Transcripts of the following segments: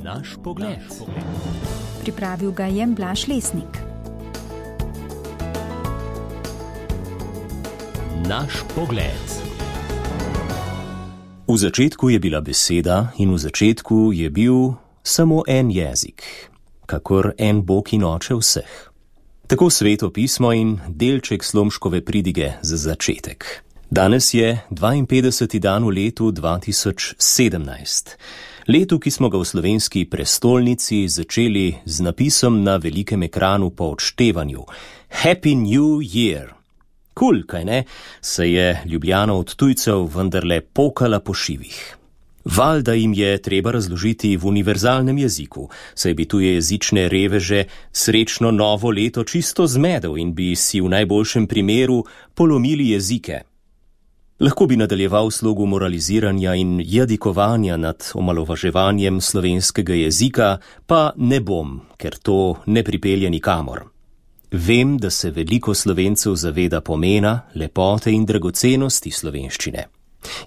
Naš pogled. Pripravil ga je Blaž Lesnik. Naš pogled. V začetku je bila beseda in v začetku je bil samo en jezik, kakor en Bog in Oče vseh. Tako Sveto pismo in delček Slomškove pridige za začetek. Danes je 52. dan v letu 2017. Letu, ki smo ga v slovenski prestolnici začeli z napisom na velikem ekranu po odštevanju. Happy New Year! Kul, kaj ne, se je Ljubljana od tujcev vendarle pokala po šivih. Valjda jim je treba razložiti v univerzalnem jeziku, saj bi tujejezične reveže srečno novo leto čisto zmedel in bi si v najboljšem primeru polomili jezike. Lahko bi nadaljeval slogu moraliziranja in jadikovanja nad omalovaževanjem slovenskega jezika, pa ne bom, ker to ne pripelje nikamor. Vem, da se veliko Slovencev zaveda pomena, lepote in dragocenosti slovenščine.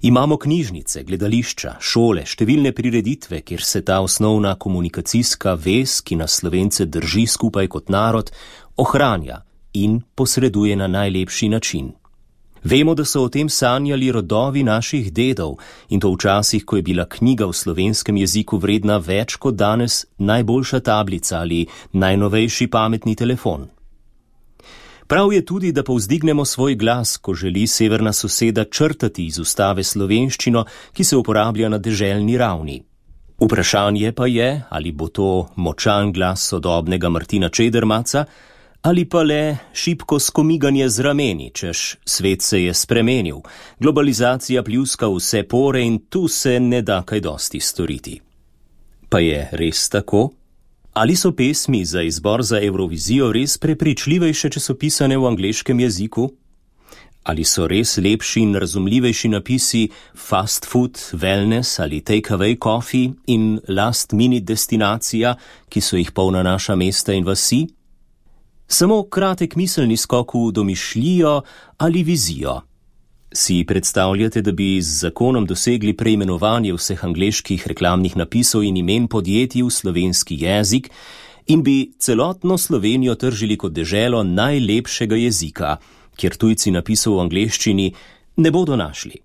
Imamo knjižnice, gledališča, šole, številne prireditve, kjer se ta osnovna komunikacijska vez, ki nas Slovence drži skupaj kot narod, ohranja in posreduje na najlepši način. Vemo, da so o tem sanjali rodovi naših dedov in to včasih, ko je bila knjiga v slovenskem jeziku vredna več kot danes najboljša tablica ali najnovejši pametni telefon. Prav je tudi, da povzdignemo svoj glas, ko želi severna soseda črtati iz ustave slovenščino, ki se uporablja na deželni ravni. Vprašanje pa je, ali bo to močan glas sodobnega Martina Čedermaca, ali pa le šibko skomiganje z rameni, češ svet se je spremenil, globalizacija pljuska vse pore in tu se ne da kaj dosti storiti. Pa je res tako? Ali so pesmi za izbor za Evrovizijo res prepričljivejše, če so pisane v angleškem jeziku? Ali so res lepši in razumljivejši napisi fast food, wellness ali take-away coffee in last-minute destinacija, ki so jih polna naša mesta in vasi? Samo kratek miselni skok v domišljijo ali vizijo. Si predstavljate, da bi z zakonom dosegli preimenovanje vseh angleških reklamnih napisov in imen podjetij v slovenski jezik in bi celotno Slovenijo tržili kot deželo najlepšega jezika, kjer tujci napisov v angleščini ne bodo našli?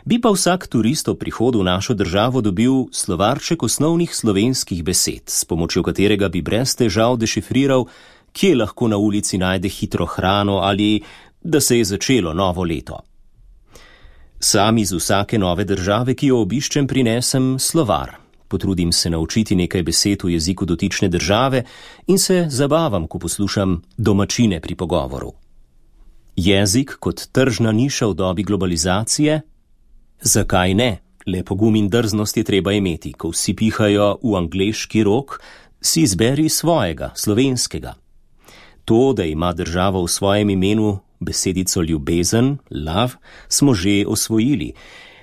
Bi pa vsak turist ob prihodu v našo državo dobil slovarček osnovnih slovenskih besed, s pomočjo katerega bi brez težav dešifriral, kje lahko na ulici najde hitro hrano ali da se je začelo novo leto. Sam iz vsake nove države, ki jo obiščem, prinesem slovar. Potrudim se naučiti nekaj besed v jeziku dotične države in se zabavam, ko poslušam domačine pri pogovoru. Jezik kot tržna niša v dobi globalizacije? Zakaj ne? Le pogum in drznost je treba imeti. Ko vsi pihajo v angleški rog, si izberi svojega, slovenskega. To, da ima država v svojem imenu besedico ljubezen, love, smo že osvojili.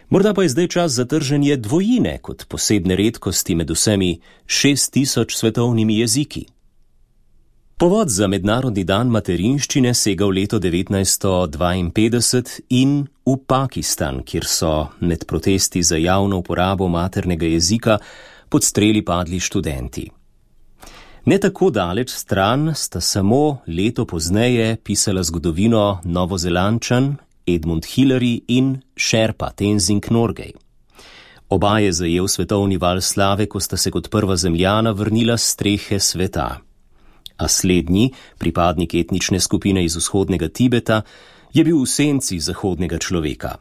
Morda pa je zdaj čas za trženje dvojine kot posebne redkosti med vsemi 6000 svetovnimi jeziki. Povod za mednarodni dan materinščine sega v leto 1952 in v Pakistan, kjer so med protesti za javno uporabo maternega jezika pod streli padli študenti. Ne tako daleč stran sta samo leto pozneje pisala zgodovino Novozelandčan Edmund Hillary in Sherpa Tenzing Norgay. Oba je zajel svetovni val slave, ko sta se kot prva zemljana vrnila s strehe sveta. A slednji, pripadnik etnične skupine iz vzhodnega Tibeta, je bil v senci zahodnega človeka.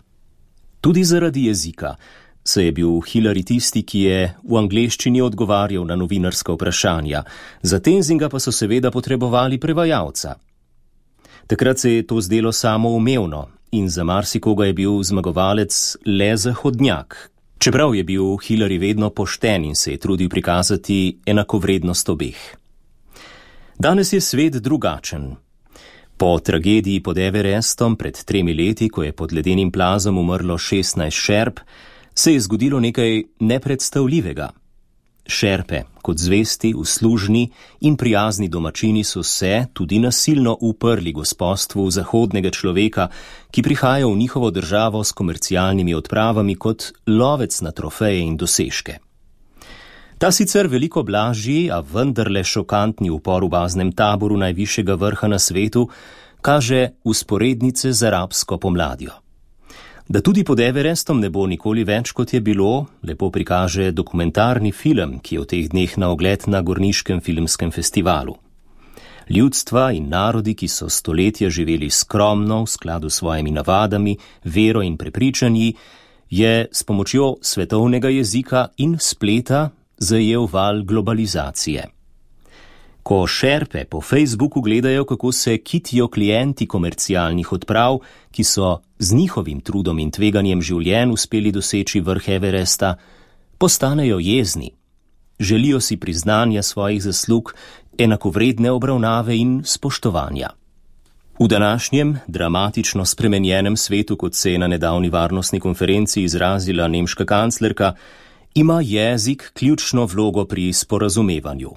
Tudi zaradi jezika, saj je bil Hillary tisti, ki je v angleščini odgovarjal na novinarska vprašanja, za Tenzinga pa so seveda potrebovali prevajalca. Takrat se je to zdelo samoumevno in za marsikoga je bil zmagovalec le zahodnjak, čeprav je bil Hillary vedno pošten in se je trudil prikazati enakovrednost obeh. Danes je svet drugačen. Po tragediji pod Everestom pred 3 leti, ko je pod ledenim plazom umrlo 16 šerp, se je zgodilo nekaj nepredstavljivega. Šerpe, kot zvesti, uslužni in prijazni domačini so se tudi nasilno uprli gospostvu zahodnega človeka, ki prihaja v njihovo državo s komercialnimi odpravami kot lovec na trofeje in dosežke. Ta sicer veliko blažji, a vendarle šokantni upor v baznem taboru najvišjega vrha na svetu kaže vzporednice z arabsko pomladjo. Da tudi pod Everestom ne bo nikoli več, kot je bilo, lepo prikaže dokumentarni film, ki je v teh dneh na ogled na Gorniškem filmskem festivalu. Ljudstva in narodi, ki so stoletja živeli skromno v skladu s svojimi navadami, vero in prepričanji, je s pomočjo svetovnega jezika in spleta zajel val globalizacije. Ko šerpe po Facebooku gledajo, kako se kitijo klienti komercialnih odprav, ki so z njihovim trudom in tveganjem življenj uspeli doseči vrh Everesta, postanejo jezni. Želijo si priznanja svojih zaslug, enakovredne obravnave in spoštovanja. V današnjem, dramatično spremenjenem svetu, kot se je na nedavni varnostni konferenci izrazila nemška kanclerka, ima jezik ključno vlogo pri sporazumevanju.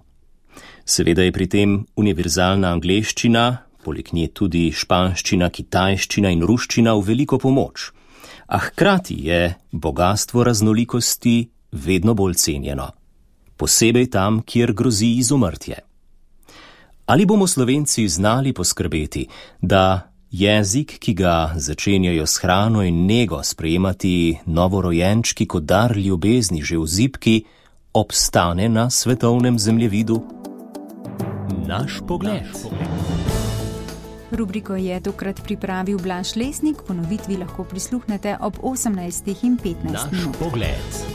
Seveda je pri tem univerzalna angleščina, poleg nje tudi španščina, kitajščina in ruščina v veliko pomoč, a hkrati je bogastvo raznolikosti vedno bolj cenjeno, posebej tam, kjer grozi izumrtje. Ali bomo Slovenci znali poskrbeti, da jezik, ki ga začenjajo s hrano in nego sprejemati novorojenčki kot dar ljubezni že v zibki, obstane na svetovnem zemljevidu? Naš pogled. Rubriko je tokrat pripravil Blaž Lesnik, ponovitvi lahko prisluhnete ob 18:15. Naš pogled.